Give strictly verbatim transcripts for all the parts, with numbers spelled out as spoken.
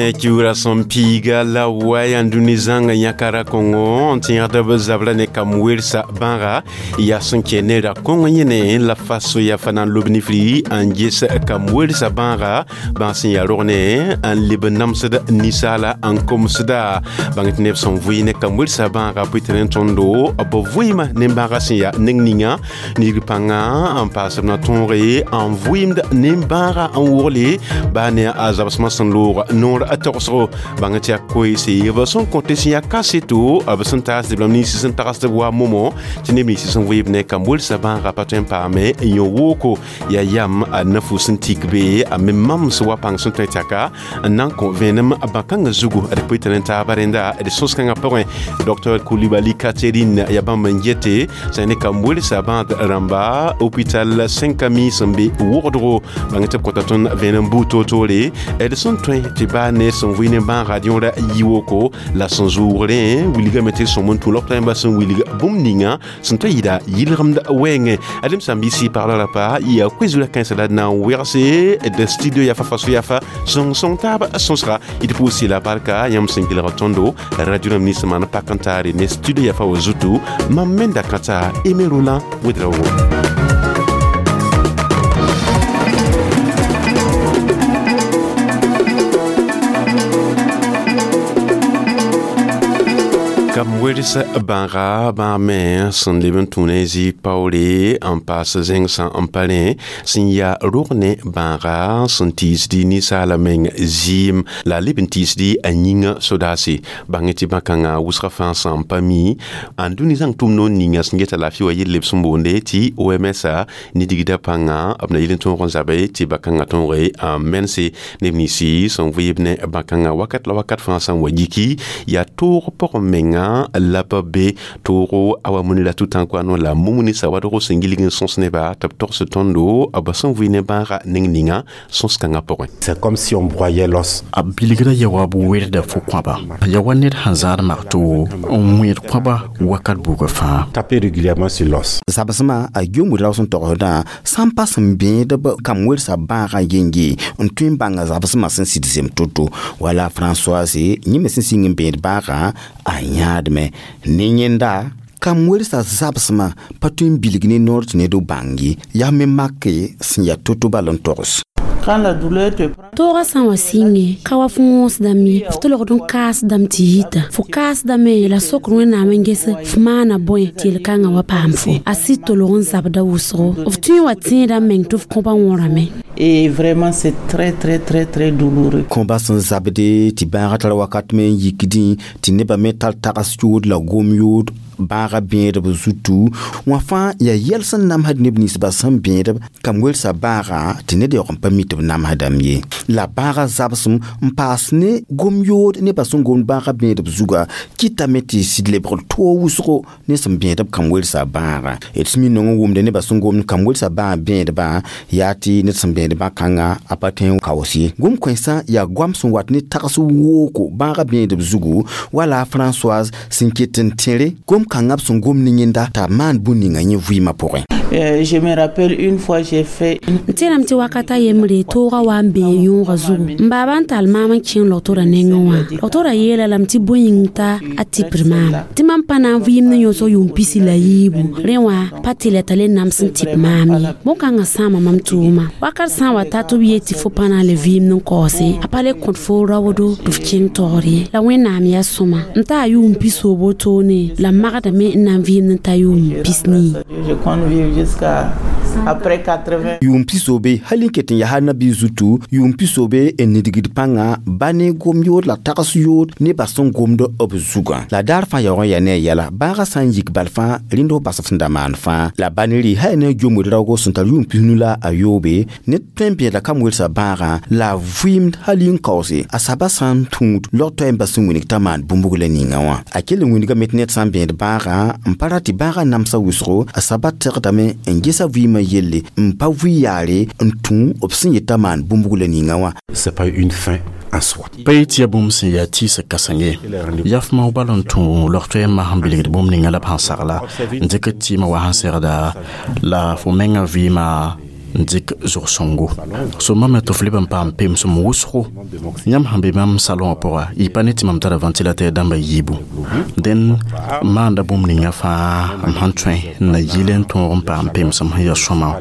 Ne kiura sẽn piiga la waya n dũni zãnga yãka ra-kõngo n tẽegd b zabra ne kam welsa bãaga yaa sẽn kẽ ne ra-kõng yẽne la faso yaa fa na n lob nifri n ges kam welsa bãaga bãag sẽn yaa rog ne n leb n namsd ninsaala n komsda bãng tɩ neb sẽn vʋɩ ne kam welsa bãaga pʋɩ tɩ rẽ tõndo b vʋɩɩmã ne bãaga sẽn yaa neng ninga nigr pãnga n paas b na tõoge n vʋɩɩmd ne-bãaga n wogle baa ne a zabsmã sẽn loog noor a togsgo bãng tɩ yaa koeese b sẽn kõte sẽn yaa kaseto b sẽn taasd b nins sẽn tagsd b wa momo tɩ neb nins sẽn vɩɩb ne kam welsa bãaga pa tõe n paame n yõ wooko yaa yam a na-fu sẽn tik be a me mams wa pãng sẽn tõe tɩ n na n kõ vẽenem bã-kãngã zugu d pʋɩ tɩ rẽn taaba rẽnda d sõs-kãngã pʋgẽ docteur Coulibaly Catherine yaa bãmb n yete sã ne kam welsa bãad rãmba hôpital Saint-Camille sẽn be wogdgo bãng tɩ b kõta tõnd vẽenem buud toor-toore d sẽn tõe tɩ baa ne sẽn vʋɩ ne bãaga yõora yi woko la sẽn zʋʋg rẽ wilgame tɩ sõm n tũ logtãmbã sẽn wilg bũmb ninga sẽn tõe yɩɩda yɩlgemd wɛɛngẽ adem sãn-biisi pagla rapa yaa koe-zurã kãensã la d na n wegse d studio yafa faso yafa sõng-sõng taab sõsga d pʋʋs la barka yãmb sẽn kelg tõndo radio rãmb nins maan pak n taare ne studio yafa wa zutu mam menda kãta Aimé Roland Ouédraogo. Kam wels bãaga bãag me sẽn leb n tũ ne zɩ paoore n paas zẽng sã n pa rẽ sẽn yaa rog ne bãaga sẽn tiisdi ninsaala meng zɩɩm la a leb n tiisdi a yĩngã sodaase bãng tɩ bã-kãngã wʋsga fãa sã n pa mi n dũni zãng tʋm noor ninga sẽn geta laafɩ wa yell b sẽn boonde tɩ O M S ne digda pãnga b na yel n tõog n zabe tɩ bã-kãngã tõoge n mense neb ninsi sẽn vɩɩb ne bã-kãngã wakat la wakat fãa sã n wa yiki yaa toog pʋgẽ menga la pa be toogo a wa muni la tutankano la mumuni sa wadgo sẽn gilg n sõs neba tɩ b togs tõndo b sẽn vʋɩ ne bãaga neng ninga sõs-kãngã pʋgẽ. C'est comme si on broyait l'os. A bilgra ya wa b werda fo kõaba ya wa ned sẽn zãad magto n wẽed kõaba wakat buugã fãa. Taper régulièrement sur l'os. Zabsmã a yomd ra sẽn togsdã sã n pa sẽn bẽed b kam welsa bãagã yenge n tõe n bãnga zabsmã sẽn sɩd zem to-to wala Françoise yẽ me sẽn sɩng n bẽed bãagã a yãadme ne yẽnda kam welsa zabsmã pa tõe n bilg ne noor tɩ ned bãng ye yaa me make sẽn yaa to-to bal n togs. Toogã sã n wa sɩnge ka wa fo wõsdame ye f tolgd n kaasdame tɩ yita fo kaasdame la sokr wẽnnaam n ges f maana bõe tɩ yel-kãngã wa paam fo a sɩd tolg n zabda wʋsgo f tõe n wa tẽeda meng tɩ f kõba wõrame. Et vraiment, c'est très, très, très, très douloureux. Kõba sẽn zabde tɩ bãagã tar wakat me n yikdẽ tɩ nebã me tar tags yood la gom yood bãaga bẽedb zutu wã fãa yaa yɛl sẽn namsd neb ninsbã sẽn bẽedb kam welsa bãagã tɩ ned yaoog n pa mi tɩ b namsdame ye la bãagã zabsem n paas ne gom yood nebã sẽn gomd bãagã bẽedb zuga kɩtame tɩ sɩd lebgr toog wʋsgo ne sẽn bẽedb kam welsa bãagã d sẽn mi nong n wʋmde nebã sẽn gomd kam welsa bãag bẽedbã yaa tɩ ned sẽn bẽed bã-kãngã a pa tõe n kaoos ye gom kõensã yaa goam sẽn wat ne tags wooko bãagã bẽedb zugu wala Françoise sẽn ket n tẽre gom kãngã b sẽn gom ne yẽnda t'a maan bũn ninga yẽ vɩɩmã pʋgẽ. Je me rappelle une fois j'ai fait n tẽrame tɩ wakata yembre toogã wa n bee yõogã zugu n baaba n tall maam n kẽng logtorã nengẽ wã logtorã yeela lame tɩ bõe yĩng t'a a tipr maam tɩ mam pa na n vɩɩm ne yõsg yʋʋm pisi la yiibu rẽ wã pa tɩ la t'a le nams n tɩp maam ye bõn-kãngã sãama mam tʋʋma wakat sã n wa ta tɩ b yet tɩ fo pa na n le vɩɩmd n kaoose a pa le kõt fo raoodo tɩ f kẽng taoor ye la wẽnnaam yaa sõma n taa yʋʋm pis-soob wotone la magdame n na n vɩɩmd n ta yʋʋm pis-nii. Je compte vivre jusqu'à après quatre-vingts. Yʋʋm pisoobe hal n ket n yaa nabi zutu yʋʋm pisoobe n nidgd pãnga ba ne gom yood la tags yood nebã sẽn gomd b zugã la daar fãa yaoog n yaa ne a yɛla bãagã sã n yik bal fãa rẽnd f bas f sẽn da maan fãa la ba ne rɩ hal ne jomd raoogo sẽn tar yʋʋm pisnu la a yoobe ned tõe n bẽeda kam welsa bãagã la a vɩɩmd hal n kaoose a saba sã n tũud log-toɛɛmbã sẽn wilg t'a maan bũmb la ninga wã a kell n wilgame tɩ ned sã n bẽed bãagã n pa ra tɩ bãagã namsa wʋsgo a saba tegdame n gesa vɩɩmã yelle n pa vʋɩ yaare n tũ b sẽn yeta maan bũmb la ninga wã. C'est pas une fin en soi. Pa yet tɩ yaa bũmb sẽn yaa tɩɩsg kãseng ye yaa f mao bal n tũ log-toɛɛmbã sẽn bilgd bũmb ninga la b sẽn sagla n dɩk tɩɩmã wa sẽn segda la fo mengã vɩɩmã n dɩk zog-sõngo sõma me tɩ f leb n paam pemsem wʋsgo yãmb sẽn be bãmb salõwã pʋga y pa ne tɩ mam tara ventilateur dãmba yiibu dẽn n maanda bũmb ninga fãa m sẽn tõe n na yɩl n tõog n paam pemsem sẽn ya sõma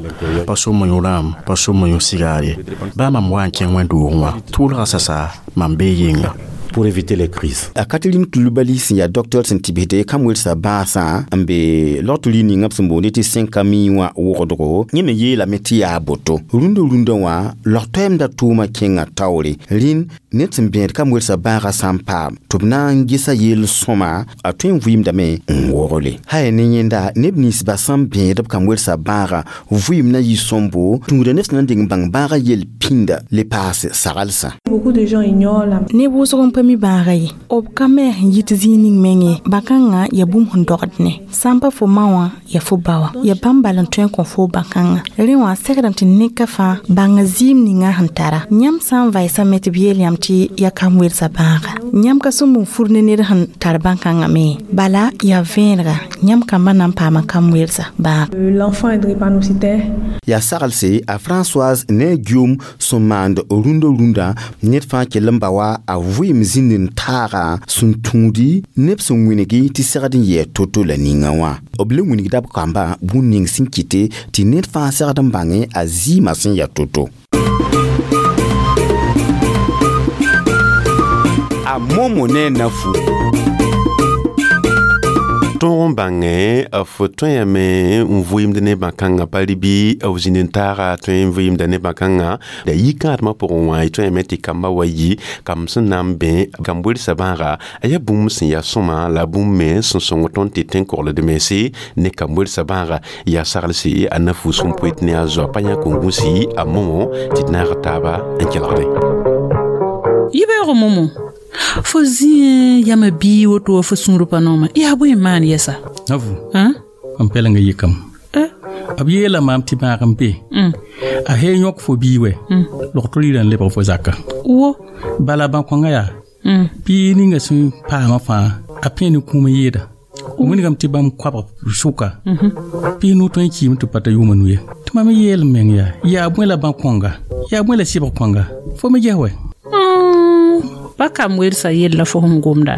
pa so moyõ rãam pa so moyõ sigaar ye baa mam wa n kẽng wẽnd-doogẽ wã tʋʋlga sasa mam bee yenga pour éviter les crises. A Catherine Coulibaly sẽn yaa docteur sẽn tɩ bisd kam-welsã bãasã n be logtr ninga b sẽn boonde tɩ Saint-Camille wã wogdgo yẽ me yeelame tɩ yaa boto rũndã rũndã wã log-toɛɛmda tʋʋmã kẽnga taoore rĩn ned sẽn bẽed kam-welsã bãagã sã n paam tɩ b na n gesa yel-sõma a tõe n vɩɩmdame n wogle ha ya ne yẽnda neb ninsbã sẽn bẽed b kam-welsã bãagã vɩɩm na yɩ sõmbo tũuda neb sẽn na n deng n bãng bãagã yel pĩnda le paas saglsã. Beaucoup de gens ignorent la neb wʋsg n pa mi bãaga ye b ka me sẽn yit zĩig ning meng ye bã-kãngã ya bũmb sẽn dogd ne sã n pa fo ma wã ya fo ba wã ya bãmb bal n tõe n kõ fo bã-kãngã rẽ wã segdame tɩ neka fãa bãnga zɩɩm ninga sẽn tara yãmb sã n vaɩsame tɩ b yeel yãmb tɩ ya kam welsã bãaga yãmb ka sõmb n fur ne ned sẽn tar bãn-kãngã me bala yaa vẽenega yãmb kambã na n paama kam welsã bãaga. L'enfant est drépanocytaire. Yaa saglse a Françoise ne a Guillaume sẽn maand rũndã rũndã ned fãa kell n ba wa a vɩɩm zĩnd n taaga sẽn tũudi neb sẽn wĩngi tɩ segd n yɛɛ to-to la ninga wã b le wĩnigda b kambã bũn ning sẽn kɩte tɩ ned fãa segd n bãngẽ a zɩɩmã sẽn yaa to-to. A Momo ne a Nafu. Tõog n bãngẽ f tõe yame n vɩɩmd ne bã-kãngã pa rɩ bɩ b zĩnd n taaga tõe n vɩɩmda ne bã-kãngã la yikãadmã pʋgẽ wã y tõe yame tɩ kambã wa yi kamb sẽn na n bẽ kamb welsã bãaga a yaa bũmb sẽn yaa sõma la bũmb me sẽn sõng tõnd tɩ tẽn-kogld mense ne kamb welsã bãaga yaa saglse a Nafu sẽn poet ne a zoa pa yã kõn-gũsi a Momo tɩ d naag taaba n kelgde. Yibeoogo Momo fo zĩ yama bii woto wa fo sũur pa nooma yaa bõe n maan yɛsa Nafu mam pɛlenga yikame b yeela maam tɩ bãag n be a hee yõk fo bii wɛ logtr rɩɩrã n lebg fo zaka wo bala bã-kõngã yaa bii ninga sẽn paamã fãa a pẽ ne kũum n yeeda wilgame tɩ bãmb koabg sʋka pis nu tõe n kiime tɩ pa ta yʋʋma nu ye tɩ mam yeel m meng yaa yaa bõe la bã-kõnga yaa bõe la sɩbg kõnga fo me ges wɛ pa kam welsã yella fo sẽn gomda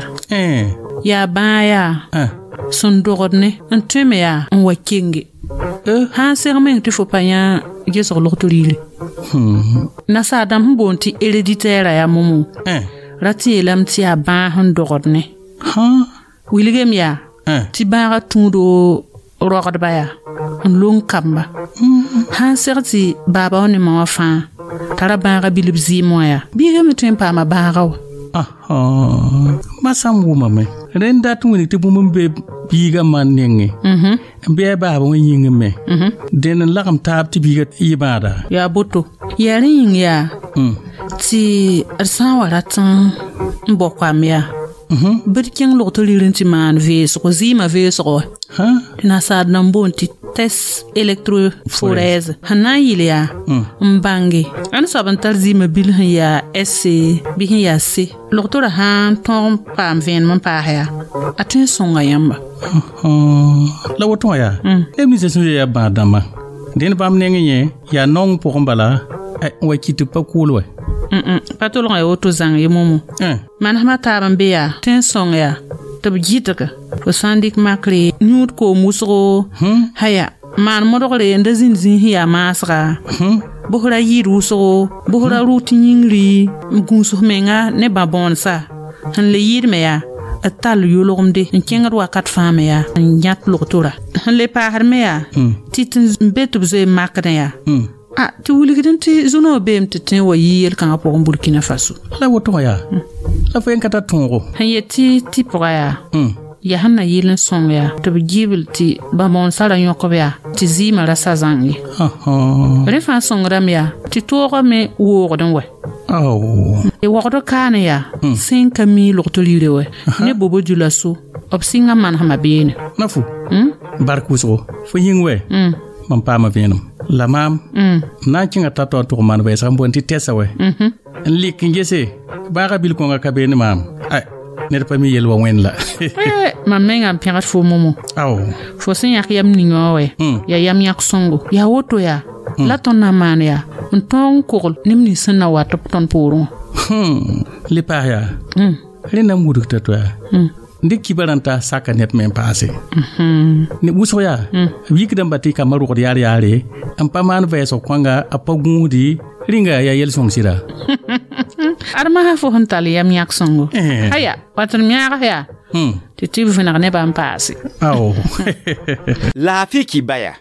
yaa bãa yaa sẽn dogd ne n tõe me yaa n wa kenge sã n seg meng tɩ fo pa yã gesg logtr riire nasaar dãmb sẽn boond tɩ héréditaire yaa Momo ra tɩ yeelame tɩ yaa bãag sẽn dogd ne wilgem yaa tɩ bãagã tũudo rogdba yaa n long kamba sã n seg tɩ baaba wã ne ma wã fãa tara bãagã bilb zɩɩm wã yaa biigã me tõe n paama bãagã wa ma sã n wʋmame rẽnd dat n wilg tɩ bũmb n be biigã ma nengẽ n bɩ a baaba wã yĩngẽ me dẽnd n lagem taab tɩ biigã yɩ bãada yaa boto yaa rẽ yĩng yaa tɩ d sã n wa rat n bao koam yaa bɩ d kẽng logtr rir n tɩ maan veesgo zɩɩmã veesgo wa tɩ nasaar dãmb boond tɩ test électrophorèse sẽn na n yɩl yaa n bãnge ãn soab n tar zɩɩmã bil sẽn yaa S bɩ sẽn yaa C logtorã sã n tõog n paam vẽenem n paas yaa a tõe n sõnga yãmba la woto wã yaa neb ninsã sẽn yaa bãad dãmbã dẽnd bãmb nengẽ yẽ yaa naong pʋgẽ bala n wa kɩt tɩ b pa kʋʋl wɛ pa tolgã ya woto zãng ye Momo manesmã taab n be yaa tõe n sõng yaa tɩ b gɩdga fo sã n dɩk makre yũud koom wʋsgo haya maan modgre n da zĩnd zĩig sẽn yaa maasga bʋsra yɩɩd wʋsgo bʋsra rʋʋt yĩngri n gũus f menga ne bã-bõonsa sẽn le yɩɩd me yaa d tall yolgemde n kẽngd wakat fãa me yaa n yãt logtora sẽn le paasd me yaa tɩ tɩ n be tɩ b zoe makdẽ yaa a tɩ wilgd tɩ zũnoo beem tɩ tõe n wa yi yel-kãngã pʋgẽ Burkina Faso la woto wã yaa la fo yen ka tar tõogo sẽn yet tɩ tɩ pʋga yaa yaa sẽn na yɩl n sõng yaa tɩ b gibl tɩ bã-bõonsã ra yõkb yaa tɩ zɩɩmã ra sa zãng ye rẽ fãa sõngdame yaa tɩ toogã me woogdẽ wɛ wogd kaane yaa sẽn ka mi logtr riire wɛ ne bobo dioulasso b sɩnga manesmã beene Nafu bark wʋsgo fo yĩng wɛ mam paama vẽenem la maam m na n kẽnga ta-taoor tʋg maan vɛɛsg n boond tɩ tɛsa wɛ n lik n gese bãagã bil kõnga ka beene maam ned pa mi yel wa wẽnd la mam mengã n pẽgd fo Momo fo sẽn yãk yam ning wã wɛ yaa yam yãk sõngo yaa woto yaa La tõnd na n maan yaa n tõog n kogl neb nins sẽn na wa tɩ b tõnd poorẽ wã. Le paas yaa rẽnd na n wudgta to yaa n dɩk kiba rãn t'a saka ned me n paase ne wʋsg yaa b yikdãmba tɩ kambã rogd yaar yaare n pa maan vɛɛsg kõnga a pa gũusdi rĩnga yaa yel-sõng sɩda ad masã fo sẽn tall yam yãk sõngo aya wat n yãag yaa tɩ tɩ b vẽneg nebã n paase ao laafɩ kibaya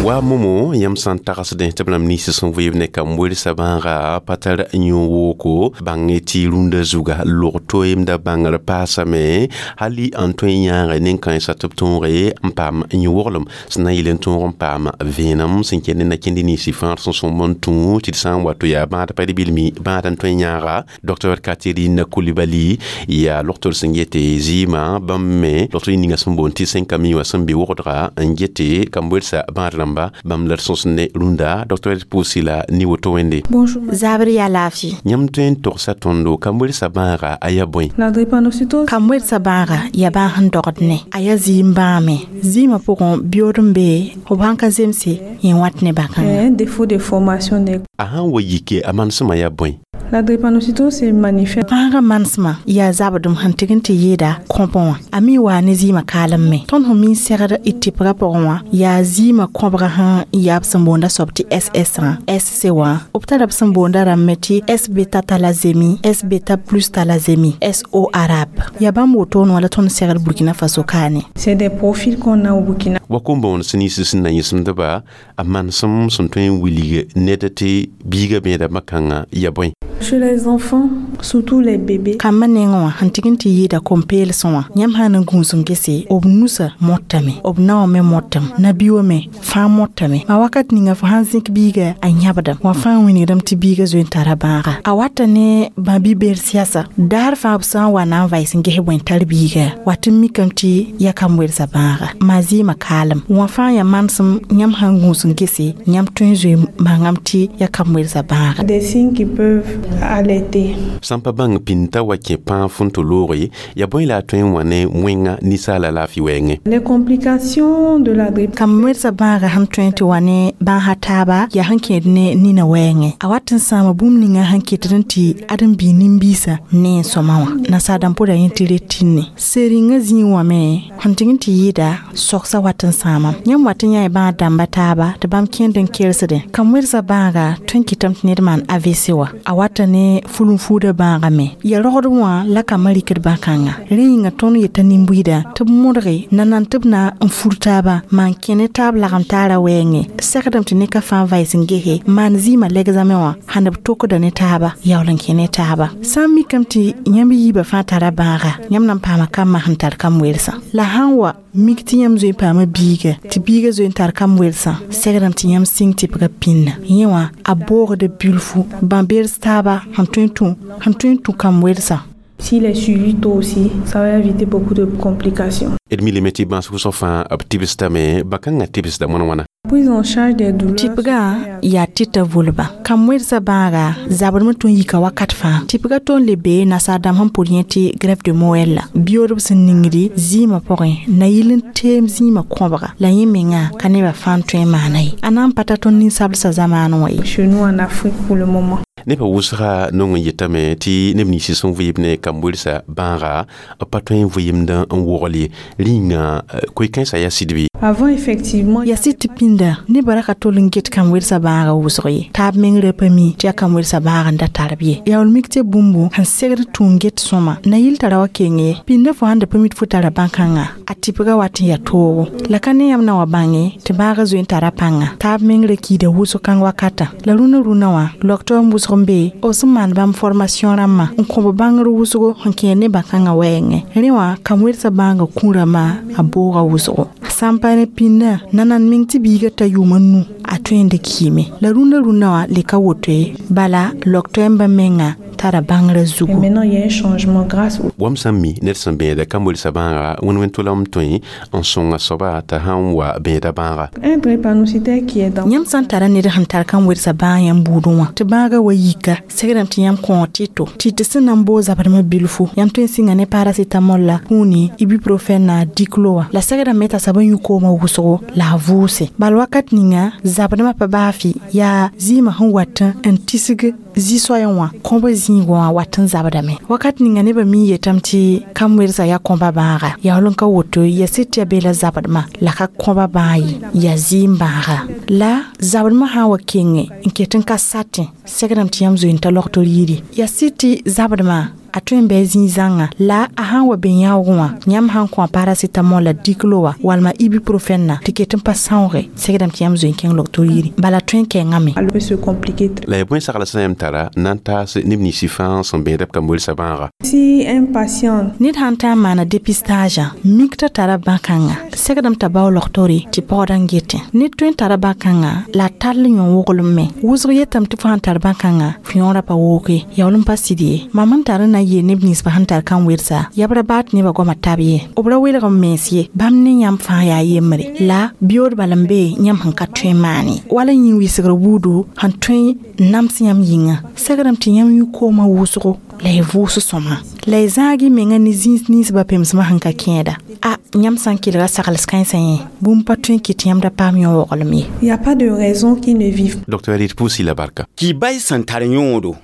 wa momo yãmb sã n tagsdẽ tɩ b rãmb nins sẽn vɩɩb ne kam-welsã bãaga pa tar yõ-wooko bãng tɩ rũndã zuga log toeemda bãngr paasame hali n tõe n yãage nen-kãensã tɩ b tõoge n paam yõ-woglem sẽn na n yɩl n tõog n paam vẽenem sẽn kẽnd ne na-kẽnd ninsi fãa sẽn sõmb n tũ tɩ d sã n wa to yaa bãad pa bilmi bãad n tõe n yãaga docteur Catherine Coulibaly yaa logtr sẽn yete zɩɩmã bãmb me logtr ninga sẽn boond tɩ sẽn ka mi wã sẽn be wogdga n gete kam-welsã bãad rãmba bãmb la d sõs ne rũndã docteur pʋʋsi la ni woto wẽnde Zabr yaa laafɩ yãmb tõe n togsa tõndo kam-welsã bãaga a yaa bõe La drépanocytose kam-welsã bãaga yaa bãag sẽn dogd ne a yaa zɩɩm bãame zɩɩmã pʋgẽ biyood n be b sãn ka zemse yẽ wat ne bãkãngã est un défaut de formation des a sãn wa yike a manesmã yaa bõe La drépanocytose se manifeste bãagã manesmã yaa zabdem sẽn tɩg n tɩ yɩɩda kõbẽ wã a me waa ne zɩɩmã kaalem me tõnd sẽn mi n segd d tɩpgã pʋgẽ wã yaa zɩɩmã kõbga sẽn yaa b sẽn boonda soab tɩ S S wã S C wã b tara b sẽn boonda rãmb me tɩ S beta thalassémie S beta plus thalassémie S O arabe yaa bãmb wotone wã la tõnd segd Burkina Faso kaane C'est des profils qu'on a au Burkina. wa kom-boond sẽn nins sẽn na yẽsemdba a manesem sẽn tõe n wilg ned tɩ biigã bẽeda makãngã yaa bõe Chez les enfants, surtout les bébés, kambã nengẽ wã sẽn tɩg n tɩ yɩɩda kom-peelsẽ wã yãmb sã n gũus n gese b nusã mõtame b naowã me mõtame nabi-wã me fãa mõtame ma wakat ninga fo sãn zẽk biiga a yãbdame wã fãa wĩnigdame tɩ biiga zoe n tara bãaga a wata ne bãbi-beer sɩasa daar fãa b sã n wa na n vaɩs n ges bõe n tar biiga wat n mikame tɩ ya kam-welsã bãaga maa zɩɩmã kaalem wã fãa yaa manesem yãmb sãn gũus n gese yãmb tõe n zoe n bãngame tɩ ya kam-welsã bãaga des signes qui peuvent alerter. Sãn pa bãng pĩnta wa kẽ pãag fõn tɩ looge yaa bõe la a tõe n wa ne wẽnga ninsaala laafɩ wɛɛngẽ Les complications de la drépanocytose kam-welsã bãaga sẽn tõe tɩ wa ne bãasa taaba yaa sẽn kẽed ne nina wɛɛngẽ a wat n sãama bũmb ninga sẽn kɩtd n tɩ ad n bii nin-biisã ne n sõma wã nasaar dãmb pʋda yẽ tɩ retinne sering-ã zĩig wã me sẽn tɩg n tɩ yɩɩda sogsã wat n sãamam yãmb wat n yã bãag dãmba taaba tɩ bãmb kẽnd n kersdẽ kam-welsã bãaga tõe n kɩtame tɩ ned maan A V C wã a wata ne fulun-fuudã bãaga me ya rogd wã la kambã rɩkd bãkãnga rẽ yĩnga tõnd yeta nin-buiida tɩ b modge nanan tɩ b na n fur taaba maan kẽ ne taab lagem taara wɛɛngẽ segdame tɩ neka fãa vaɩs n gese maan zɩɩmã lɛgzame wã sãn b tokda ne taaba yaool n kẽ ne taaba sã n mikame tɩ yãmb yiibã fãa tara bãaga yãmb na n paama kambã sẽn tar kam-welsã la sãn wa mik tɩ yãmb zoe n paama biiga tɩ biiga zoe n tar kam-welsã segdame tɩ yãmb sɩng tɩpga pĩnna yẽ wã a boogda bilfu bã-beers taaba sẽn tõe n tũ sẽn tõe n tũ kam-welsã S'il est suivi tôt aussi, ça va éviter beaucoup de complications. D milame tɩ bãas wʋsg fãa b tɩbsdame bãkãngã tɩbsda wãn wãna Prise en charge des douleurs. Tɩpgã yaa tɩta volba kam-welsã bãaga zabdme tõe n yika wakat fãa tɩpgã tõnd le bee nasaar dãmb sẽn pʋd yẽ tɩ greffe de moelle la biyoodb sẽn ningdi zɩɩmã pʋgẽ na yɩl n teem zĩimã kõbga la yẽ menga ka nebã fãa n tõe n maana ye a na n pa ta tõnd ninsablsã zamaanẽ wã ye Chez nous en Afrique pour le moment. Nebã wʋsga nong n yetame tɩ neb nins sẽn vɩɩb ne kam-welsã bãaga b pa tõe n vɩɩmd n wogl ye rĩnga koe-kãensã yaa sɩd bɩ Avant, effectivement, yaa sɩd tɩ pĩnda nebã ra ka tol n get kam-welsã bãaga wʋsg ye taab meng ra pa mi tɩ yaa kam-welsã bãag n da tar b ye yaool mik tɩ bũmbu sẽn segd tũ n get sõma na yɩl tara wa keng ye pĩndã fo sãn da pa mi tɩ fo tara bãn-kãngã a tɩpgã wat n yaa toogo la ka ne yãmb na wa bãnge tɩ bãagã zoe n tara pãnga taab meng ra kiida wʋsg kãng wakatã la rũnã rũnã wã logtɔ n wʋsg n be b sẽn maan bãmb formation rãmbã n kõ b bãngr wʋsgo sẽn kẽer ne bãn-kãngã wɛɛngẽ rẽ wã kam-welsã bãangã kũrãmã a booga wʋsgo sã n pa ne pĩndã nanan meng tɩ biigã ta yʋʋm a nu a tõe n da kiime la rũndã rũndã wã le ka woto ye bala log-toɛɛmbã menga tara bãngrã zugu. Et maintenant, il y a un changement grâce au Wam sẽn mi ned sẽn bẽeda kam-welsã bãaga wẽn-wẽn tʋlem tõe n sõnga soaba t'a sãn wa bẽeda bãaga. Un drépanocytaire qui est dans Yãmb sã n tara ned sẽn tar kam-welsã bãag yãmb buudẽ wã tɩ bãagã wa yika, segrame tɩ yãmb kõo tɩ-to tɩ tɩ sẽn na n boog zabdmã bilfu, yãmb tõe n sɩnga ne paracetamol la kũuni, ibuprofène la diclo wã, la segrame t'a soab n yũ koomã wʋsgo la a vʋʋse. Bal wakat ninga zabdmã pa baa fɩ yaa zɩɩmã sẽn wat n tisg zĩ-soayẽ wã kõba zĩigã wã wat n zabdame. Wakat ninga nebã mi yetame tɩ kam-welsã yaa kõba bãaga, yaool n ka woto ya sɩd tɩ yaa be la zabdmã la ka kõba bãag ye, yaa zɩɩm bãaga. La zabdmã sã n wa kenge n ket n ka satẽ, segrame tɩ yãmb zoe n ta logtr yiri, yaa sɩd tɩ zabdmã a tõe n bɩ zĩ-zãnga, la a sã n wa be yãoogẽ wã, yãmb sãn kõ a paracetamol la diclo wã walma ibuprofène na tɩ ket n pa sãooge, segrame tɩ yãmb zoe n kẽng logtr yiri, bala tõe n kɛngame. Elle peut se compliquer. La yaa bõe sagl sã yãmb tara na n taas neb ninsã fãa sẽn bẽeda b kam-welsã bãaga? Si un patient Ned sãn ta n maana dépistage, mik t'a tara bã-kãnga, segdame t'a bao logtore tɩ paoodã n getẽ. Ned tõe n tara bã-kãnga la a tall yõ-woglem me. Wʋsg yetame tɩ fo sãn tar bã-kãnga, fo yõorã pa wooge, yaool n pa sɩd ye. Mam n tar n na n yeel neb ninsbã sẽn tar kam-welsã, yaa b ra baa tɩ nebã goamã tab ye, b ra welg n mens ye, bãmb ne yãmb fãa yaa yembre, la biyood bal n be yãmb sẽn ka tõe n maane, wala yĩn-wɩsgr buudu sẽn tõe n nams yãmb yĩnga, segrame tɩ yãmb yũ koomã wʋsgo la y vʋʋs sõma, la y zãag y menga ne zĩis ninsbã pemsmã sẽn ka kẽeda. A yãmb sã n kelga sagls kãensã yẽ, bũmb pa tõe n kɩt yãmb da paam yõ-woglem ye. Il n'y a pas de raison qu'ils ne vivent. Docteur Edith Pusi la barka. Kibay sẽn tar yõodo.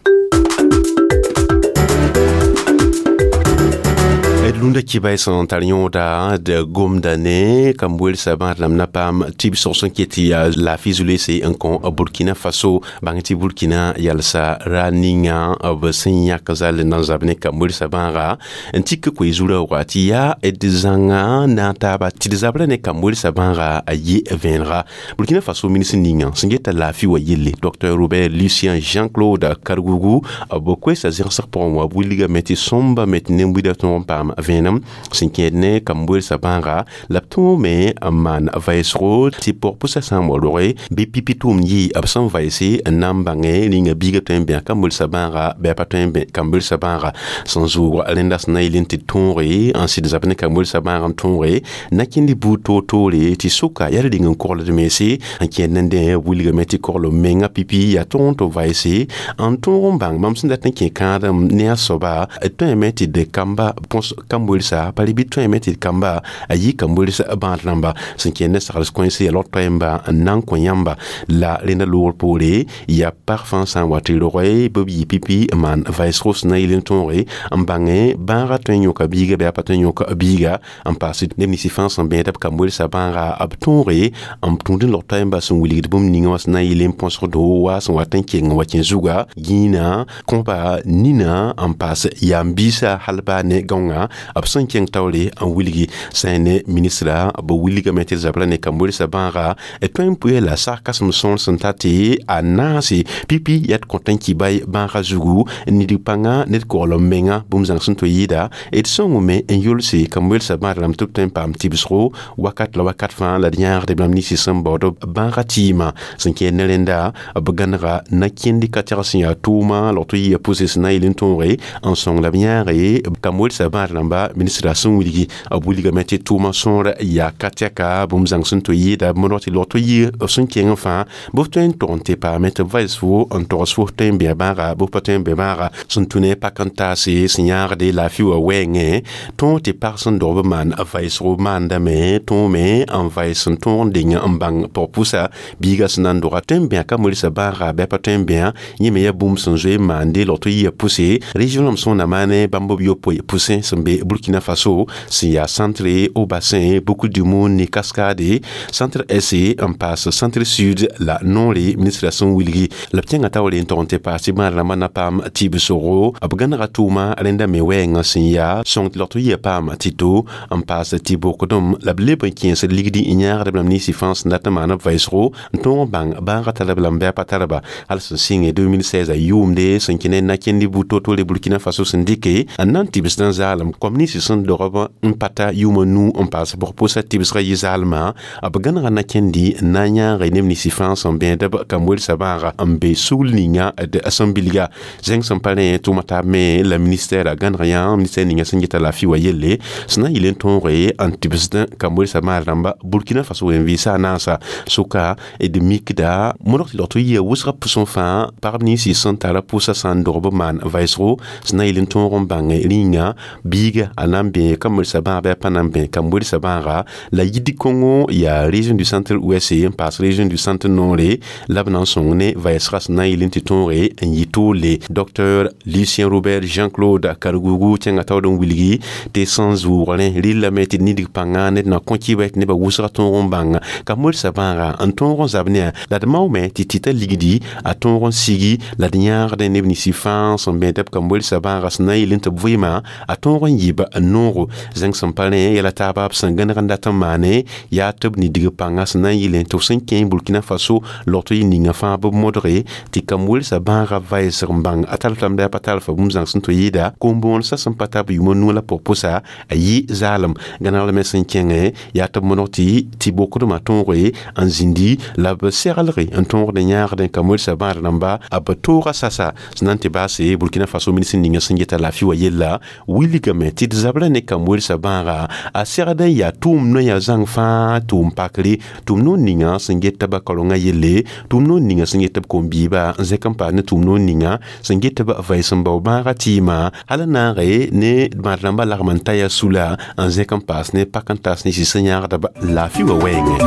D lunda kibay sẽn tar yõoda d gomda ne kam-welsã bãad rãmb na paam tɩbsg sẽn ket tɩ yaa laafɩ zulese n kõ Burkina Faso, bãng tɩ Burkina yalsa ra ninga b sẽn yãk zal n na n zab ne kam-welsã bãaga n tik koe zu-raooga tɩ yaa d zãnga na n taaba tɩ d zabra ne kam-welsã bãaga a yɩ vẽenega. Burkina Faso ministr ninga sẽn geta laafɩ wa yelle, Docteur Robert Lucien Jean-Claude Kargougou, b koesa zẽgsg pʋgẽ wã b wilgame tɩ sõmba me tɩ nen-buidã tõog n paam vẽenem sẽn kẽed ne kam-welsã bãaga, la b tõome n maan vaɩsgo tɩ pɔg-pʋsã sã n wa roge bɩ pipi tʋʋmd yɩ b sẽn vaɩse n na n bãngẽ rĩnga biigã tõe n bẽa kam-welsã bãaga bɩ a pa tõe n bẽ kam-welsã bãaga. Sẽn zʋʋg rẽnda sẽn na yɩl n tɩ tõoge n sɩd zab ne kam-welsã bãag n tõoge na kẽnd buud toor-toore tɩ soka yaa rĩng n kogld mense n kẽed nendẽ wilgame tɩ kogl menga pipi yaa tõog n tɩ vaɩse n tõog n bãng mam sẽn dat n kẽ kãadem ne a soaba tõeme tɩ d kamba põs kam-welsã pa bɩ tõeme tɩ d kamba a yɩ kam-welsã bãad rãmba sẽn kẽnd ne sagls kõense yaa log toɛɛmba n na n kõ yãmba. La rẽnda loogr poore yaa pag fãa sã n wa tɩ roge bɩ b yɩ pipi n maan vaɩsgo sẽn na yɩl n tõoge n bãngẽ bãagã tõe n yõka biiga bɩ a pa tõe n yõk biiga n paas neb ninsã fãa sẽn bẽeda b kam-welsã bãaga b tõoge n tũud n log toɛɛmba sẽn wilgd bũmb ninga wã sẽn na n yɩl n põsgdo wa sẽn wat n keng n wa kẽ zuga gĩinã kõba nina n paas yaam-biisã hal baa ne gãongã b sẽn kẽng taoore n wilgi sã ne ministra b wilgame tɩ d zabra ne kam-welsã bãaga tõe n pʋɩ la sag kãsem sõor sẽn ta tɩ a naase pipi yaa d kõt n kibay bãagã zugu nidg pãnga ned kogl n menga bũmb zãng sẽn tɩ yɩɩda d sõngame n yolse kam-welsã bãad rãmb tɩ b tõe n paam tɩbsgo wakat la wakat fãa la d yãagd b rãmb ninsi sẽn baood bãagã tɩɩmã sẽn kẽed ne rẽnda b gãnega na kẽnd ka tɛg sẽn yaa tʋʋma log tɩ yɩa pʋse sẽn na n yɩl n tõoge n sõng la b yãage kam-welsã bãad rãmba ministra sẽn wilgi b wilgame tɩ tʋʋma sõor yaa ka tɛka bũmb zãng sẽn tɩ yɩɩda b modg tɩ log tɩ yɩ b sẽn kẽng fãa bɩ f tõe n tog n tɩ paame tɩ b vaɩs fo n togs fo tõe n bẽ bãaga bɩ f pa tõe n bẽ bãaga sẽn tũ ne pak n taase sẽn yãagde laafɩ wã wɛɛngẽ tõog tɩ pag sẽn dog b maan vaɩsgo maandame tõome n vaɩs n tõog n deng n bãng pɔg-pʋsa biigã sẽn na n doga tõe n bẽa kam-welsã bãaga bɩ a pa tõe n bẽa yẽ me yaa bũmb sẽn zoe n maande log tɩ yɩa pʋse région rãmb sõna maane bãmb b yopoe pʋsẽ sẽn be Burkina Faso sẽn yaa centre au bassin Boucle du Mouhoun ne Cascade centre S n paas centre sud la noore ministra sẽn wilgi la b kẽnga taoore n tog n tɩ paas tɩ bãad rãmbã na paam tɩbsgo b gãnega tʋʋma rẽnda me wɛɛngã sẽn yaa sõng tɩ log tɩ yɩa paam tɩ-to n paas tɩ bokdem la b leb n kẽesd ligdi n yãagd b rãmb ninsi fãa sẽn dat n maan b vaɩsgo n tõog n bãng bãagã tara b lame bɩ a pa tara ba hal sẽn sɩnge deux mille seize a yʋʋmde sẽn kẽ ne na-kẽnd buud toor-toore Burkina Faso sẽn dɩke n na n tɩbsd n zaalem kom Bãmb nins sẽn dogb n pa ta yʋʋma nu n paas bg pʋsa tɩbsgã yɩ zaalmã b gãnega na kẽndi n na n yãage neb nins fãa sẽn bẽed b kam-welsã bãaga n be sugl ninga d sẽn bilga zẽng sẽn pa rẽ tʋʋma taab me la ministère a gãneg yã ministère ninga sẽn geta laafɩ wa yelle sẽn na n yɩl n tõoge n tɩbsd kam-welsã bãag rãmba Burkina Faso wen-vɩɩsa a naasa sʋka d mikda modg tɩ lg tɩ yɩa wʋsgã pʋsẽ fãa pagb nins sẽn tara pʋʋsã sã n dog b maan vɩɩsgo sẽn na n yɩl n tõog n bãng rĩnga biiga a na n bẽ kam-welsã bãag bɩ a pa na n bẽ kam-welsã bãaga la yid kõngo yaa région du centre ouest n paas région du centre nord la b na n sõng ne vɩɩsgã sẽn na n yɩl n tɩ tõoge n yɩ toole. Docteur Lucien Robert Jean-Claude Kargougou kẽnga taood n wilgi tɩ sẽn zʋʋgrẽ rɩllame tɩ nidg pãnga ned na kõ kɩba tɩ nebã wʋsga tõog n bãng kam-welsã bãaga n tõog n zab ne la d maoome tɩ tɩta ligdi a tõog n sigi la d yãagdẽ neb nins fãa sẽn bẽed b kam-welsã bãaga sẽn na n yɩl n tɩ b vɩɩmã a tõog n yɩb noogo zẽng sẽn pa rẽ yɛla taaba b sẽn gãneg n dat n maane yaa tɩ b nidg pãnga sẽn na n yɩlẽ tɩ b sẽn kẽ Burkina Faso log tɩ yɩ ninga fãa b modge tɩ kam-welsã bãaga vɩɩsg n bãng a tarf lame la a pa tarfa bũmb zãng sẽn tɩ yɩɩda kom-bõonesã sẽn pa tar b yʋʋma nu la pʋg pʋsa a yɩ zaalem gãneg lame sẽn kẽngẽ yaa tɩ b modg tɩ tɩ bokdmã tõoge n zĩndi la b seglge n tõogd n yãagdẽ kam-welsã bãad rãmba a b tooga sasa sẽn na n tɩ baase Burkina Faso ministr ninga sẽn geta laafɩ wa yella wilgame tɩ d zabra ne kam-welsã bãaga a segd n yaa tʋʋm noyã zãng fãa tʋʋm pakre tʋʋm noor ninga sẽn get tɩ ba kaorengã yelle tʋʋm noor ninga sẽn get tɩ b kom-biiba n zẽk n paas ne tʋʋm noor ninga sẽn get tɩ b vɩɩs n bao bãagã tɩɩmã hal n naage ne bãad rãmbã lagm n ta yaa sula n zẽk n paas ne pak n taas ne sɩs n yãagda b laafɩ wa wɛɛngẽ.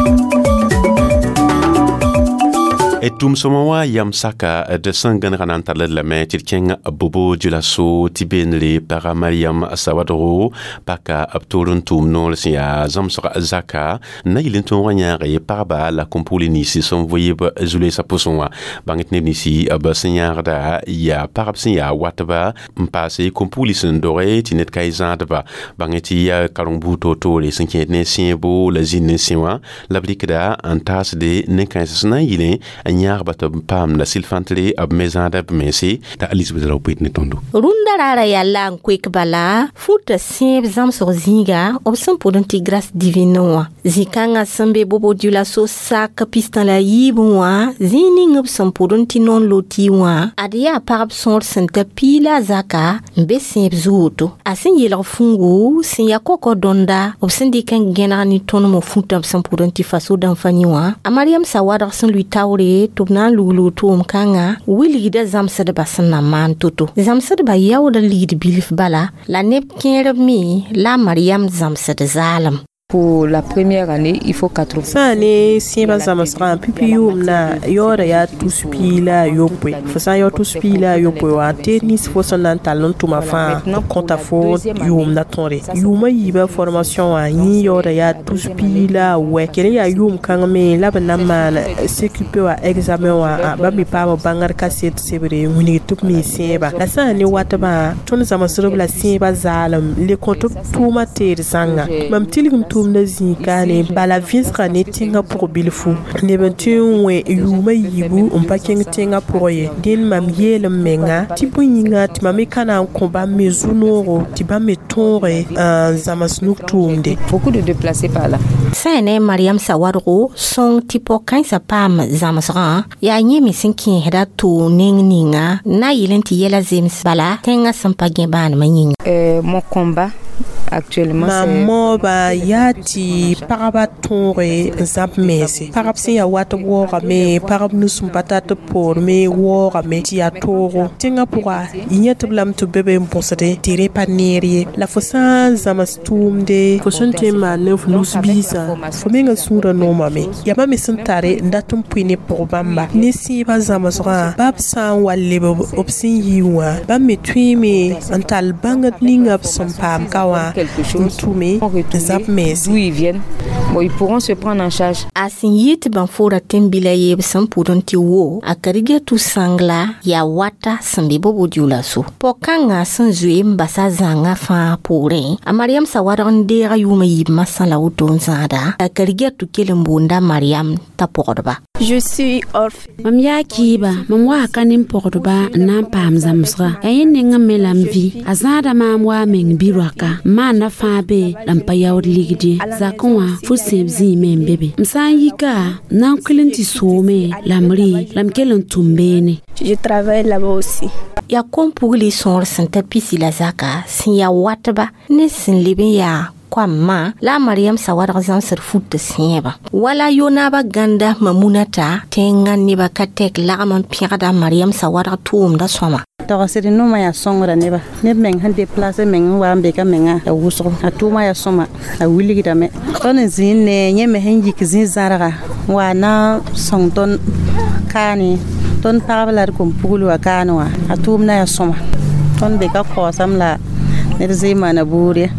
D tʋʋm-sõma wã yam saka d sẽn gãnega na n tall d lame tɩ d kẽng Bobo Dioulasso tɩ beenre paga Mariam Sawadgo paka b toor n tʋʋm noor sẽn yaa zãmsg zaka n na yɩl n tõog n yãage pagba la kom-pugl ninsi sẽn vɩɩb zu-loeesã pʋsẽ wã bãng tɩ neb ninsi b sẽn yãagda yaa pagb sẽn yaa watba n paase kom-pugl sẽn doge tɩ ned ka y zãadba bãng tɩ yaa kareng buud toor-toore sẽn kẽed ne sẽebo la zĩnd n sẽ wã la b rɩkda n taasde nen-kãens sẽn na n yɩlẽ n yãagba tɩ b paam la sɩl-fãntre b me zãada b mense t'a Elizabeth Raopoet ne tõndo. Rũndã raara yaa la n koek bala futa sẽeb zãmsg zĩiga b sẽn pʋd n tɩ Grâce Divine wã zĩ-kãngã sẽn be Bobo Dioulasso sak pistã la yiibẽ wã zĩig ning b sẽn pʋd n tɩ non loti wã ad yaa pagb sõor sẽn ta piila a zaka n be sẽeb zuoto a sẽn yelg fũngu sẽn yaa kokɔ dõnda b sẽn dɩk n gẽneg ne tõnem futã b sẽn pʋd n tɩ Faso dãmfani wã a Mariam Sawadg sẽn lʋɩ taoore tɩ b na n lugl tʋʋm kãngã wilgda zãmsdbã sẽn na maan to-to zãmsdbã yaooda ligd bilf bala la neb kẽerb me la a Mariam zãmsd zaalem. Pour la première année, il faut quatre-vingts. Sã ne sẽebã zãmsgã pipi yʋʋmna yaooda yaa tus piig la a yopoe fo sã n yao tus piig la a yopoe wã teed nins fo sẽn na n tall n tʋma fãa b kõta fo yʋʋmda tõre yʋʋma yiibã formation wã yẽ yaooda yaa tus piig la a wɛ kell n yaa yʋʋm kãng me la b na n maan C Q P wã examen wã bãmb me paam bãngr kaset sebre n wilg tɩ b mi sẽebã la sã n ne watbã tõnd zãmsdb la sẽebã zaalem le kõ tɩ b tʋʋma teed zãnga mam tilgem tʋʋmda zĩig-kaane bala vẽsga ne tẽngã pʋg bilfu neb n tõe n wẽ yʋʋma yiibu n pa kẽng tẽngã pʋgẽ ye dẽnd mam yeel m menga tɩ bõe yĩnga tɩ mam me ka na n kõ bãmb me zu-noogo tɩ bãmb me tõoge n zãms nug tʋʋmde. Beaucoup de déplacés par là. Sã ne Mariam Sawadgo sõng tɩ pɔg-kãensã paam zãmsgã yaa yẽ me sẽn kẽesda tʋʋ neng ninga na yɩl n tɩ yɛla zems bala tẽngã sẽn pa gẽ bãanemã yĩnga. Euh, mon combat actuellement mam maooba yaa tɩ pagba tõoge n zãb mense pagb sẽn yaa wat waoogame pagb nus n pa tar tɩ b poorme waoogame tɩ yaa toogo tẽngã pʋga yẽ tɩ b lame tɩ b be be n bõsde tɩ rẽ pa neer ye la fo sã n zãms tʋʋmde fo sẽn tõe n maan ne f nus-biisã fo mengã sũurã noomame yaa bãmb me sẽn tare n dat n pʋɩ ne pʋg bãmba ne sẽebã zãmsgã bab sã n wa leb b sẽn yi wã bãmb me tõeme n tall bãngd ninga b sẽn paam ka wã. n tʋme n zab mense. D'où ils viennent, bon, ils pourront se prendre en charge. A sẽn yɩ tɩ bãn-foora tẽn-bila yeeb sẽn pʋd n tɩ wo a Kadidiatou sãngla yaa wata sẽn be Bobo-Dioulasso. Pog-kãngã sẽn zoe n basa zãngã fãa poorẽ, a Mariam Sawadg n deega yʋʋmã yiib masã la woto n zãada. A Kadidiatou kell n boonda Mariam t'a pogdba. Je suis orpheline. Mam yaa kɩɩba, mam waa ka nin-pogdba n na n paam zãmsga. Yaa yẽ nengẽ me la m vɩ. A zãada maam waa meng bi-roaka. M maanda fãa be la m pa yaood ligd ye. Zakẽ wã fu-sẽeb zĩime n be be. M sã n yika, n na n kʋɩl n tɩ soome la m rɩ la m kell n tʋm beene. Je travaille là-bas aussi. Yaa kom-pugli sõor sẽn ta pisi la zaka sẽn yaa watba ne sẽn leb n yaa koamã la a Mariam Sawadg zãmsd fut sẽebã. Wala yo-naabã gãnda Mamunata tẽngã nebã ka tɛk lagm n pẽgda Mariam Sawadg tʋʋmdã sõma. Togsd noma yaa sõngrã nebã. Neb meng sẽn deplaase meng n wa n be ka menga a wʋsgo. A tʋʋma yaa sõma, a wilgdame. Tõnd n zĩig ne yẽ me sẽn yik zĩ-zãrga n wa na n sõng tõnd kaane. Tõnd pagb la d kom-pugl wã kaane wã, a tʋʋmdã yaa sõma. Tõnd be ka kaoosame la ned zɩ n maana buud ye.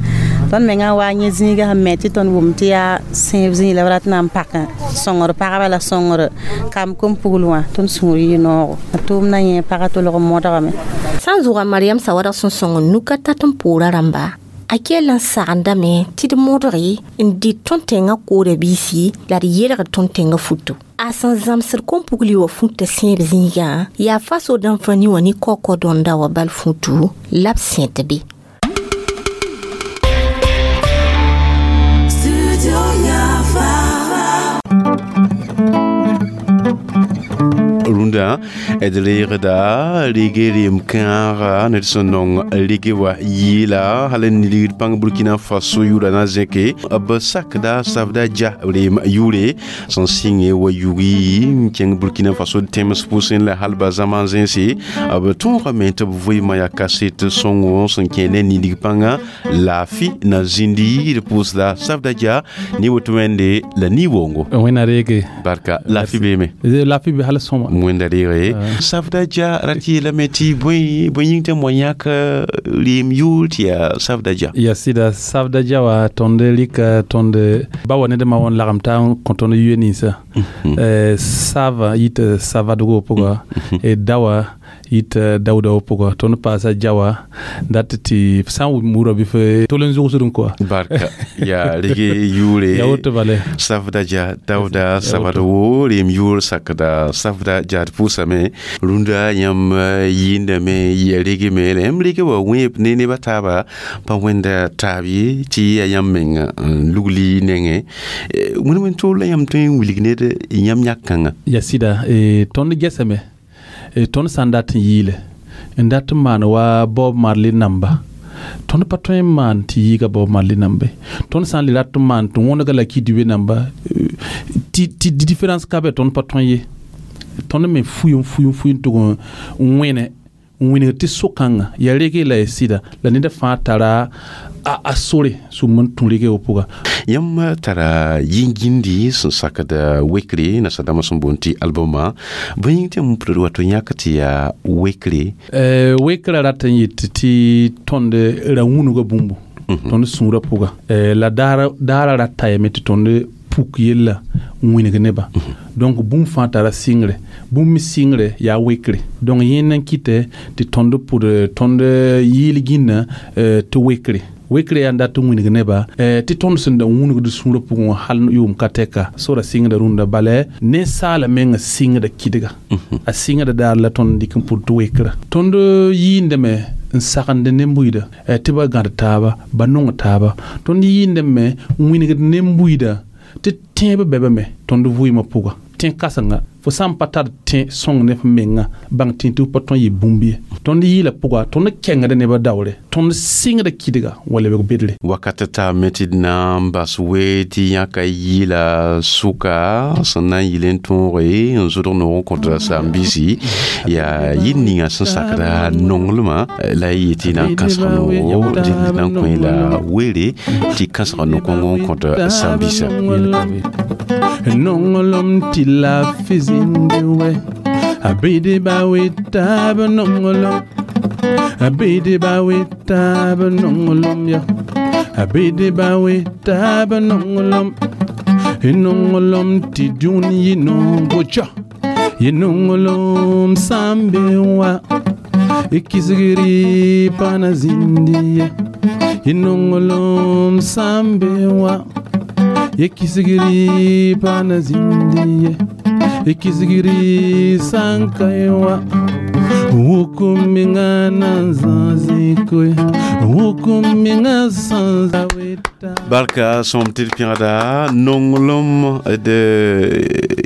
Tõnd mengã wa yẽ zĩigã sẽn me tɩ tõnd wʋm tɩ yaa sẽeb zĩig la b rat na n pak sõngr pagba la sõngr kamb kom-pugl wã, tõnd sũur yɩ noogo. A tʋʋmdã yẽ pagã tolg n modgame. Sã n zʋga Mariam Sawadg sẽn sõng nuka tat n poora rãmba, a kell n sagendame tɩ d modge n dɩt tõnd tẽngã koora biisi la d yelgd tõnd tẽngã futo. A sẽn zãmsd kom-pugli wã futã sẽeb zĩigã yaa faso dãmb-fãni wã ne kaokao dõnda wã bal futu la b sẽt be. Rũndã d reegda rege reem kãaga ned sẽn nong rege wa yɩɩla hal n nilgd pãng Burkina Faso yʋʋra na zẽke b sakda Savda Dia reem yʋʋre sẽn sɩnge wa yugi n kẽng Burkina Faso tẽms pʋsẽ la hal ba zãma zẽnse b tõogame tɩ b vɩɩmã yaa kaset sõngo sẽn kẽ ne nilg pãngã laafɩ na zĩndi d pʋʋsda Savda Dia ne woto wẽnde la ni-woongo. Wẽnna reege. Barka laafɩ beeme. Laafɩ be hal sõma. Wẽnda reege. Savda Dia rat yeelame tɩ bõe bõe yĩng tɩ m wa yãk reem yʋʋr tɩ yaa Savda Dia. Ya sɩda Savda Dia wã tõnd rɩka tõnd ba wa ned ma wã n lagem taa n kõ tõnd yʋ ninsã. Sava yita savadgo pʋga, dawa yita dawda pʋga, tõnd paasa jawa dat tɩ sã n wʋm wʋra bɩ f tol n zʋgsd n koa. Barka yaa rege yʋʋre. Ya woto bale. Savda Dia Dawda savadgo reem yʋʋr sakda Savda Dia d pʋʋsame rũndã yãmb yɩɩndame yɩa regeme la yãmb rege wa wẽeb ne nebã taaba pa wẽnda taab ye tɩ yaa yãmb meng n lugli nengẽ. Wẽnd wẽnd toor la yãmb tõe n wilg ned yãmb yãk-kãngã. Ya sɩda tõnd gɛsame tõnd sã n dat n yɩɩle n dat n maan wa Bob Marley namba, tõnd pa tõe n maan tɩ yɩɩga Bob Marley namba ye. Tõnd sã n le rat n maan tɩ wõnega la Kidube namba tɩ différence ka be, tõnd pa tõe ye. Tõnd me fuy n fuy n fuy n tʋg n wẽne n wĩneg tɩ so-kãngã yaa rege la ya sɩda la neda fãa tara a, a sore sũm n tũ rege wã pʋga. Yãmb tara yĩn-gĩndi sẽn sakd wekre nasadãmbã sẽn boond tɩ albɔmã bõe yĩng tɩ yãmb pʋdd wato yãk tɩ yaa wekre. Wekrã rat n yet tɩ tõnd ra wũnuga bũmbu tõnd sũurã pʋga la daara rat tayame tɩ tõnd puk yella n wĩneg nebã. Donc bũmb fãa tara sɩngre, bũmb me sɩngre yaa wekre. Donc yẽnd n kɩtɛ tɩ tõnd pʋd tõnd yɩɩl gĩnna tɩ wekre. Wekre yaa n dat n wĩneg nebã tɩ tõnd sẽn da wũnugd sũurã pʋgẽ wã hal yʋʋm ka tɛka sora sɩngda rũndã bala ninsaala menga sɩngda kɩdga a sɩngda daar la tõnd dɩk n pʋd tɩ wekrã. Tõnd yɩɩndame n sagend ne-buiida tɩ ba gãd taaba ba nong taaba. Tõnd yɩɩndame n wĩnegd ne-buiida tɩ tẽeb bɛbame tõnd vɩɩmã pʋga. Tẽ kãsenga fo sã n pa tar tẽ sõng ne f menga bãng tẽ tɩ f pa tõe n yɩ bũmb ye. Tõnd yɩɩla pʋga tõnd kẽngda nebã daoore, tõnd sɩngda kɩdga wa lebg bedre. Wakat taame tɩ d na n bas we tɩ yãka yɩɩla sʋka sẽn na n yɩl n tõoge n zʋdg noog n kõt saam-biisi yaa yɩl ninga sẽn sakda nonglmã la y yetɩ na n kãsg noogo dɩ na n kõ la weere tɩ kãsg no-kõng n kõt saam-biisã. Nonglem tɩ laafɩ zĩndi wɛ a bɩdba wetaab nonglem a bɩdba wetaab nonglem ya Abede bawe taaba nonglem nonglem tɩ dũni yɩ nongo ja yɩ nonglem sã n be wa kisgri pa na zĩndi ye yɩ nonglem sã n be wa ye kisgri pa na zĩndi ye ye kisgri sã n ka ye wa wukuminga na nzãzikoe wukuminga sãn Barka sõm tɩ d pẽgda nonglem d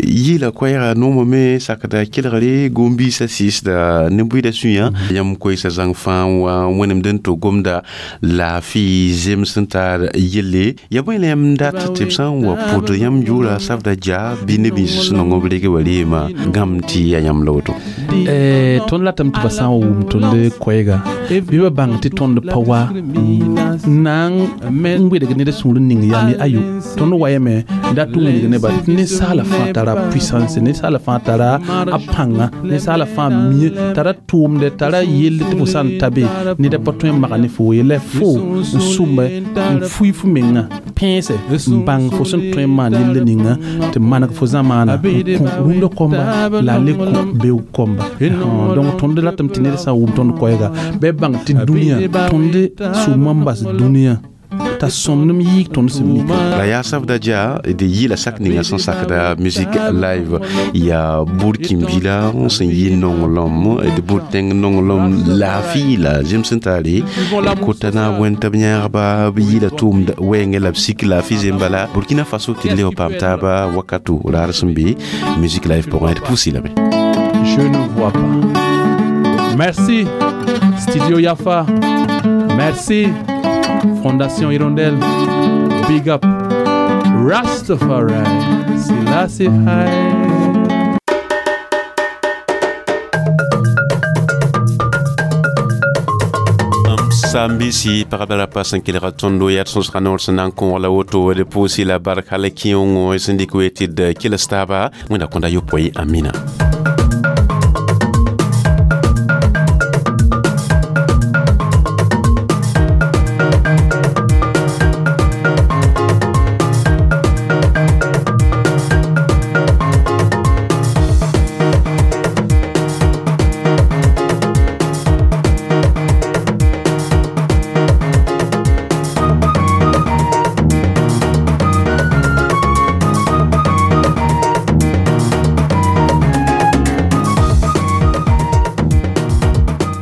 yɩɩla koɛɛga noomã me sakda kelgre gom-biisã sɩɩsda ne-bʋɩda sũyã yãmb koɛɛsã zãng fãa wa wẽnemd n to gomda laafɩ zems n tar yelle ya bõe la yãmb dat tɩ b sã n wa pʋd yãmb yʋʋra sabda ja bɩ neb nins sẽn nong b reg wa reema gãmb tɩ ya yãmb la woto tõnd ratame tɩ ba sã n wʋm tõnd koɛɛga bɩ ba bãng tɩ tõnd pa wa na n wedg ned sũur n ning yam ye ayo tõnd wayame dat n wilg nebã tɩ ninsaala fãa tara puissance ninsaala fãa tara a pãnga ninsaala fãa mie tara tʋʋmdɛ tara yelle tɩ fo sã n ta be ned pa tõe n maga ne fo ye la fo n sʋmbe n fui fo menga pẽese n bãng fo sẽn tõe n maan yelle ninga tɩ maneg fo zamaana n kõ rũndã kõmba la a le kõ beoog kõmba donc tõnd ratame tɩ ned sã n wʋm tõnd koɛɛga bɩ b bãng tɩ dũniyã tõnd sʋʋmã n bas dũniyã t'a sõmdem yɩɩg tõnd sẽn mika la yaa sabda ja d yɩɩla sak ninga sẽn sakda musique live yaa bur kĩmbila sẽn yɩ nonglem d bur tẽng nonglem laafɩ la zems sẽn tare d kota naab wẽn tɩ b yãagba b yɩɩla tʋʋmd wɛɛngẽ la b sik laafɩ zem bala Burkina Faso tɩ d leb paam taaba wakato raar sẽn be musique live pʋgẽ d pʋʋsi lame. Je ne vois pas. Merci Studio Yafa. Merci Fondation Hirondelle. Big up Rastafari. Selassie High. Sambisi pagba la pa sẽn kelga tõndo yaa d sõsga noor sẽn na n kõog la woto d pʋʋsi la bark hal kẽongo sẽn dɩk we tɩ d kels taaba wẽnda kõnda yopoe amina.